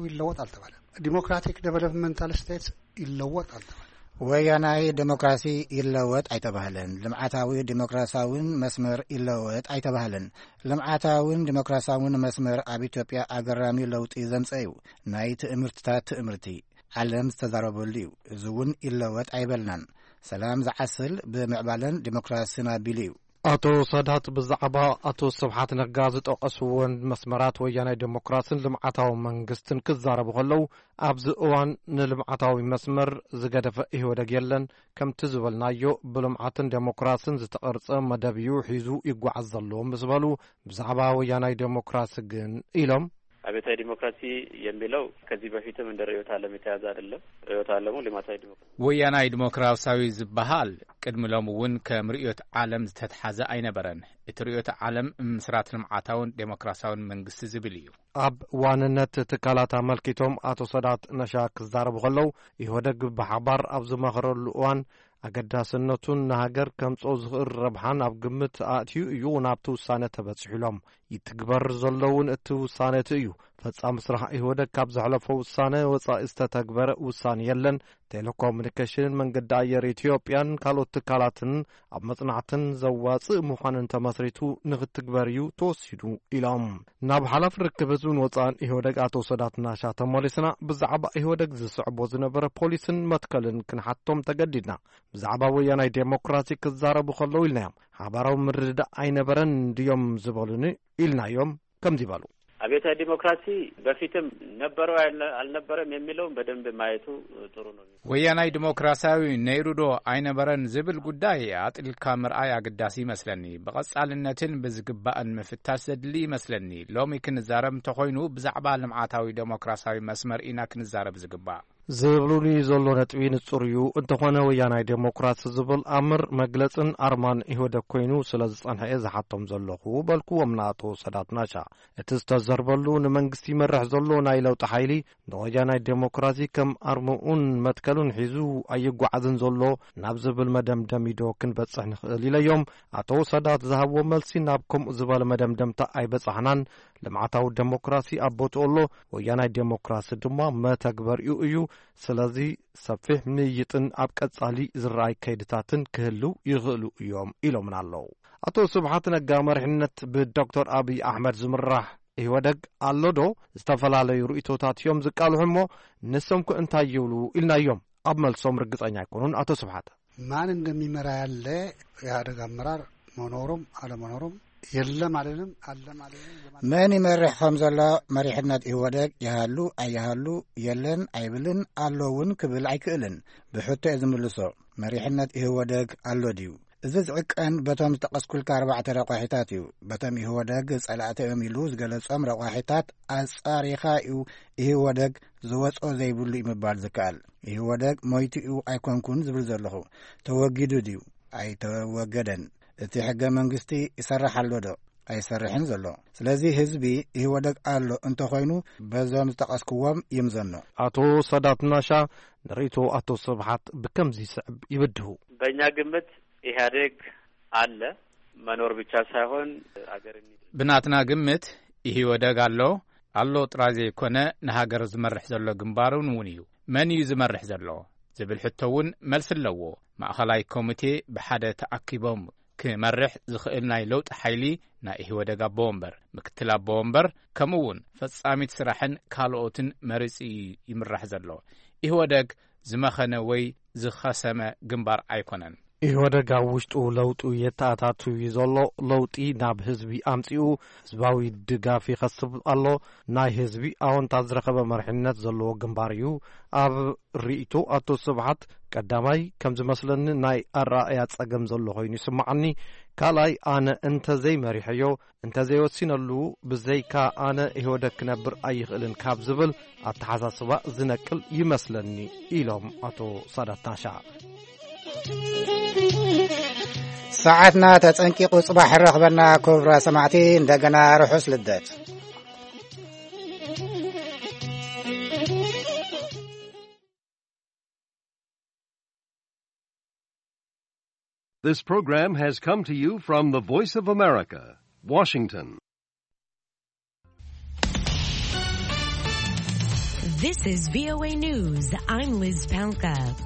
ይለወጥ ኣልተባለ። ዲሞክራቲክ ዴቨሎፕመንታል ስቴትስ ይለወጥ ኣልተባለ። ወያናይ ዴሞክራሲ ይለወጥ ኣይተባህለን። ልምዓታዊ ዴሞክራሲያውን መስመር ይለወጥ ኣይተባህለን። ልምዓታውን ዴሞክራሲያውን መስመር ኣብ ኢትዮጵያ ኣገራሚ ለውጢ ዘምጸ እዩ። ናይ ትእምርትታት ትእምርቲ ዓለም ዝተዛረበሉ እዩ። እዚ እውን ይለወጥ ኣይበልናን። ሰላም ዝዓስል ብምዕባለን ዴሞክራሲን ኣቢሉ እዩ። ኣቶ ሳዳት ብዛዕባ ኣቶ ስብሓት ነጋ ዝጠቐስዎን መስመራት ወያናይ ዴሞክራሲን ልምዓታዊ መንግስትን ክዛረቡ ከለዉ፣ ኣብዚ እዋን ንልምዓታዊ መስመር ዝገደፈ ኢህወደግ የለን፣ ከምቲ ዝበልናዮ ብልምዓትን ዴሞክራሲን ዝተቐርጸ መደብ እዩ ሒዙ ይጓዓዝ ዘሎ ምስ በሉ፣ ብዛዕባ ወያናይ ዴሞክራሲ ግን ኢሎም። አብዮታዊ ዲሞክራሲ የሚለው ከዚህ በፊትም እንደ ርዕዮተ ዓለም የተያዘ አይደለም። ርዕዮተ ዓለሙ ልማታዊ ዲሞክራሲ። ወያናይ ዲሞክራሲያዊ ዝበሃል ቅድሚ ሎሚ እውን ከም ርእዮት ዓለም ዝተትሓዘ ኣይነበረን። እቲ ርእዮት ዓለም ምስራት ልምዓታውን ዴሞክራሲያውን መንግስቲ ዝብል እዩ። ኣብ ዋንነት ትካላት ኣመልኪቶም ኣቶ ሰዳት ነሻ ክዛረቡ ከለዉ፣ ኢህወደግ ብሓባር ኣብ ዝመኸረሉ እዋን ኣገዳስነቱን ንሃገር ከምጽኦ ዝኽእል ረብሓን ኣብ ግምት ኣእትዩ እዩ ናብቲ ውሳነ ተበጺሑ ኢሎም። ይትግበር ዘሎ እውን እቲ ውሳነ እቲ እዩ። ፈጻሚ ስራሕ ኢህወደግ ካብ ዘሕለፎ ውሳነ ወጻኢ ዝተተግበረ ውሳነ የለን። ቴሌኮሙኒኬሽንን መንገዲ ኣየር ኢትዮጵያን ካልኦት ትካላትን ኣብ መጽናዕትን ዘዋጽእ ምዃንን ተመስሪቱ ንኽትግበር እዩ ተወሲኑ ኢሎም። ናብ ሓላፊ ርክብ ህዝብን ወጻእን ኢህወደግ ኣቶ ሰዳት ናሻ ተመሊስና ብዛዕባ ኢህወደግ ዝስዕቦ ዝነበረ ፖሊስን መትከልን ክንሓቶም ተገዲድና። ብዛዕባ ወያናይ ዴሞክራሲ ክዛረቡ ከለዉ ኢልናዮም። ሓባራዊ ምርድዳእ ኣይነበረን ድዮም ዝበሉኒ ኢልናዮም ከምዚ በሉ። አብዮታዊ ዲሞክራሲ በፊትም ነበረው አልነበረም የሚለውን በደንብ ማየቱ ጥሩ ነው። ወያናይ ዲሞክራሲያዊ ነይሩ ዶ ኣይነበረን ዝብል ጉዳይ ኣጥልካ ምርኣይ ኣገዳሲ ይመስለኒ። ብቐጻልነትን ብዝግባእን ምፍታሽ ዘድሊ ይመስለኒ። ሎሚ ክንዛረብ እንተኾይኑ ብዛዕባ ልምዓታዊ ዴሞክራሲያዊ መስመር ኢና ክንዛረብ ዝግባእ። ዝብሉኒ ዘሎ ነጥቢ ንጹር እዩ። እንተኾነ ወያናይ ዴሞክራሲ ዝብል ኣምር መግለጽን ኣርማን ኢህወደግ ኮይኑ ስለ ዝጸንሐ እየ ዝሓቶም ዘለኹ በልኩዎም ንኣቶ ሰዳት ናሻ። እቲ ዝተዘርበሉ ንመንግስቲ ይመርሕ ዘሎ ናይ ለውጢ ሓይሊ ንወያናይ ዴሞክራሲ ከም ኣርምኡን መትከሉን ሒዙ ኣይጓዓዝን ዘሎ ናብ ዝብል መደምደሚዶ ክንበጽሕ ንኽእል ኢለዮም። ኣቶ ሰዳት ዝሃብዎ መልሲ ናብ ከምኡ ዝበለ መደምደምታ ኣይበጻሕናን። ልምዓታዊ ዴሞክራሲ ኣብ ቦትኡ ኣሎ፣ ወያናይ ዴሞክራሲ ድማ መተግበሪኡ እዩ። ስለዚ ሰፊሕ ምይይጥን ኣብ ቀጻሊ ዝረኣይ ከይድታትን ክህልው ይኽእሉ እዮም ኢሎምና ኣለዉ። ኣቶ ስብሓት ነጋ መሪሕነት ብዶክተር ኣብይ ኣሕመድ ዝምራሕ ኢህወደግ ኣሎ ዶ? ዝተፈላለዩ ርእይቶታት እዮም ዝቃልሑ እሞ ንሶም ከ እንታይ ይብሉ ኢልናዮም። ኣብ መልሶም ርግጸኛ ኣይኮኑን ኣቶ ስብሓት። ማን እንደሚመራ ያለ ኢህአደግ አመራር መኖሩም አለመኖሩም የለም አልልም፣ አለም አልልም። መን ይመርሕ ከም ዘሎ መሪሕነት ኢህወደግ ይሃሉ ኣይሃሉ የለን ኣይብልን ኣሎ እውን ክብል ኣይክእልን። ብሕቶ እየ ዝምልሶ። መሪሕነት ኢህወደግ ኣሎ ድዩ? እዚ ዝዕቀን በቶም ዝጠቐስኩልካ ኣርባዕተ ረቋሒታት እዩ። በቶም ኢህወደግ ጸላእቲ እዮም ኢሉ ዝገለጾም ረቋሒታት ኣጻሪኻ እዩ ኢህወደግ ዝወጾ ዘይብሉ እዩ ምባል ዝከኣል። ኢህወደግ ሞይቱ እዩ ኣይኮንኩን ዝብል ዘለኹ። ተወጊዱ ድዩ? ኣይተወገደን። እቲ ሕገ መንግስቲ ይሰርሕ ኣሎ ዶ? ኣይሰርሕን ዘሎ። ስለዚ ህዝቢ ኢህወደግ ኣሎ እንተኾይኑ በዞም ዝጠቐስክዎም ይምዘኖ። ኣቶ ሰዳት ናሻ ንርእይቶ ኣቶ ስብሓት ብከምዚ ይስዕብ ይብድሁ። በእኛ ግምት ኢህአዴግ አለ፣ መኖር ብቻ ሳይሆን አገር የሚል ብናትና ግምት ኢህወደግ ኣሎ። ኣሎ ጥራይ ዘይኮነ ንሃገር ዝመርሕ ዘሎ ግንባር እውን እውን እዩ። መን እዩ ዝመርሕ ዘሎ ዝብል ሕቶ እውን መልሲ ኣለዎ። ማእኸላይ ኮሚቴ ብሓደ ተኣኪቦም ክመርሕ ዝኽእል ናይ ለውጢ ሓይሊ ናይ ኢህወደግ ኣቦ ወንበር፣ ምክትል ኣቦ ወንበር ከምኡ እውን ፈጻሚት ስራሕን ካልኦትን መሪጹ እዩ ይምራሕ ዘሎ። ኢህወደግ ዝመኸነ ወይ ዝኸሰመ ግንባር ኣይኮነን። ኢህወደግ ኣብ ውሽጡ ለውጡ የተኣታቱ እዩ ዘሎ። ለውጢ ናብ ህዝቢ ኣምጺኡ ህዝባዊ ድጋፍ ይኸስብ ኣሎ። ናይ ህዝቢ ኣወንታ ዝረኸበ መርሕነት ዘለዎ ግንባር እዩ። ኣብ ርእይቶ ኣቶ ስብሓት፣ ቀዳማይ ከም ዝመስለኒ ናይ ኣረኣእያ ጸገም ዘሎ ኮይኑ ይስምዓኒ። ካልኣይ፣ ኣነ እንተዘይመሪሐዮ፣ እንተዘይወሲነሉ፣ ብዘይካ ኣነ ኢህወደግ ክነብር ኣይኽእልን ካብ ዝብል ኣተሓሳስባ ዝነቅል ይመስለኒ፣ ኢሎም ኣቶ ሳዳት ናሻ። ሰዓትና ተጸንቂቑ፣ ጽባሕ ረኽበና ክቡራ ሰማዕቲ። እንደገና ርሑስ ልደት። This program has come to you from the Voice of America, Washington. This is V O A News. I'm Liz Palka.